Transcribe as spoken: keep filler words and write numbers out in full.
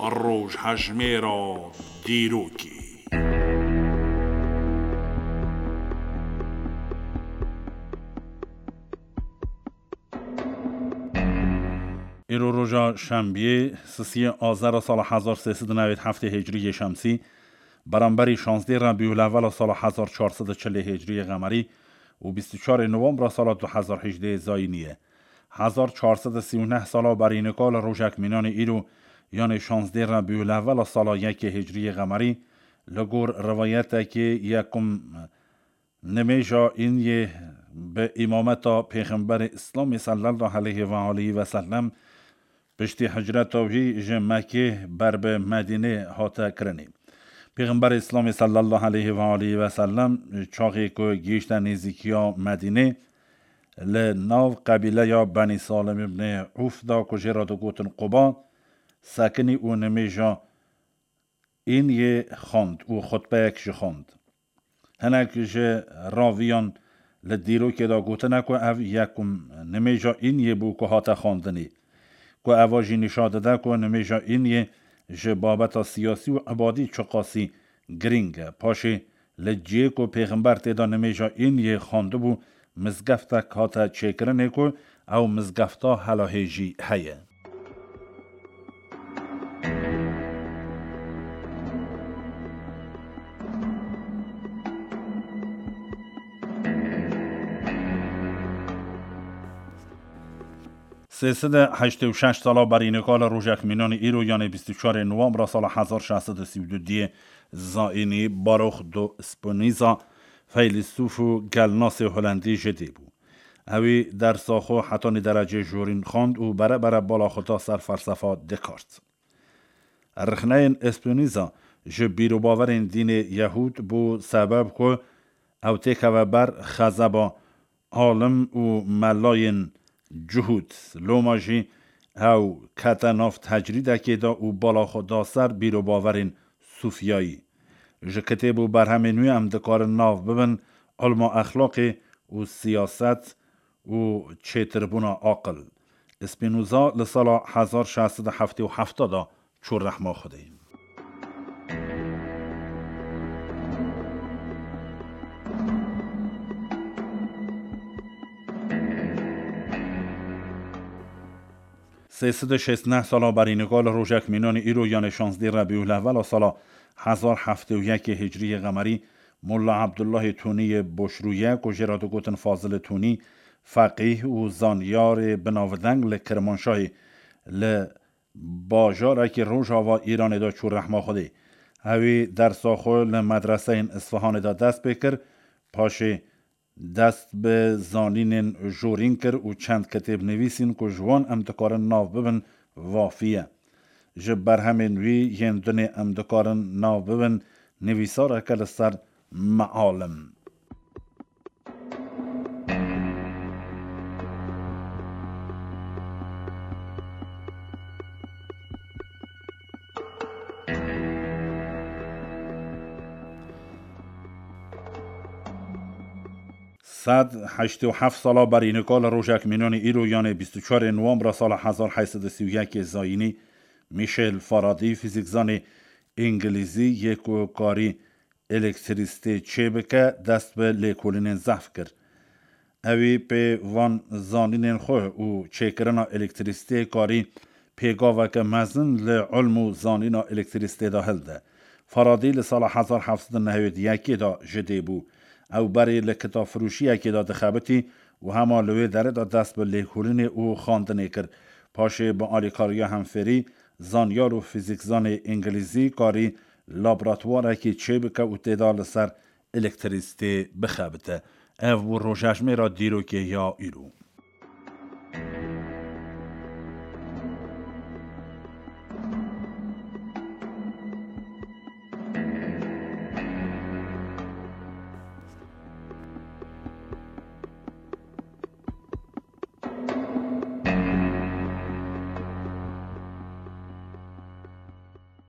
Rojhejmêra dîrokê. Îro roja şembiyê, sisiyê Azera sala hezar sê sed û newêd heftê Hicriyê Şemsî, beramberî şazdê Rebîulewela sala hezar çar sed û çilê Hicriyê Qemerî û bîst û çarê Nowembra sala du hezar hejdê Zayînî ye. Hezar çar sed û sî û neh sala berî nika li rojek mînanê îro, yanê şazdê Rebîulewela sala yekê Hicriyê Qemerî, li gor rivayetekê yekum nimêja Îniyê bi îmameta Pêxemberê Îslamê sallallahu aleyhi ve aleyhi ve sellem piştî hicreta wî ji Mekê ber bi Medînê hate kirinê. Pêxemberê Îslamê sallallahu aleyhi ve aleyhi ve sellem çaxê ku gihîşte nêzîkiya Medînê, li nav qebîleya Benî Salim ibnê Ûf da ku jê re digotin Quba, sekinî û nimêja Îniyê xwend û xutbeyek jî xwend. Hinek ji raviyan li dîrokê de gotine ku ev yekum nimêja Îniyê bû ku hate xwendinê, ku eva jî nîşan dide ku nimêja Îniyê ji babeta siyasî û ibadî çiqasî girîng e. Paşê li cihê ku Pêxember tê de nimêja Îniyê xwendibû, mizgeftek hate çêkirinê ku ew mizgefta hela hê jî heye. Sê sed û heştê û şeş sala berî nika li rojek mînanî îro, yanê bîst û çarê Nowembra sala hezar şeş sed û sî û du diyê Zayînî, Baruch do Spinoza, feylesûf û gelnasê Holendî ji dê bû. Ewî dersa xwe hetanî derecê jorîn xwend û bere bere bala xwe da ser felsefa Descartes. Rixneyên Spinoza ji bîrobawerên dînê Yehûd bû sebeb ku ew têkeve ber xezeba alim û melayên Cuhûd. Loma jî ew kete nav tecrîdekê de û bala xwe da ser bîrobawerên Sûfiyayî. Ji kitêb û berhemên wî em dikarin nav bibin ilma exlaqê û siyaset û çêtirbûna aqil. Spinoza li sala hezar şeş sed û heftê û heft de çû rehma Xwedê. Sê sed û şêst neh sala berî nika li rojek mînanî îro, yanê şazdê Rebîulewela sala hezar heftê û yekê Hicriyê Qemerî, Molla Abdullahê Tunî yê Boşrûye ku jê re digotin Fazilê Tunî, feqîh û zanyarê binavdeng li Kirmanşahê, li bajarekî rojava Îranê de çû rehma Xwedê. Ewî dersa xwe li medreseyên Isfihanê de dest pê kir, paşê dest bi zanînên jorîn kir û çend kitêb nivîsîn ku ji wan em dikarin nav bibin Vafiye. Ji berhemên wî yên dinê em dikarin nav bibin nivîsareke li ser Mealim. Sed heştê û heft sala berî nika li rojek mînanî îro, yanê bîst û çarê Nowembra sala hezar heyt sed û sî û yekê Zayînî, Michel Faraday, fîzîkzanê îngilîzî yê ku karî elektrîsitê çêbike, dest bi lêkolînên zehf kir. Ewî pê van zanînên xwe û çêkirina elektrîsitê karî pêgaveke mezin li ilm û zanîna elektrîsitê de hilde. Faraday li sala hezar heft sed û nehewêd yekê de ji dê bû. Ew berê li kitafirûşiyekê de dixebitî û hema li wê derê de dest bi lêkolînê û xwendinê kir. Paşê bi alîkariya hemfêrî, zanyar û fîzîkzanê îngilîzî karî laboratuwarekî çêbike û tê de li ser elektrîsitê bixebite. Ev bû rojejmêra dîrokê ya îro.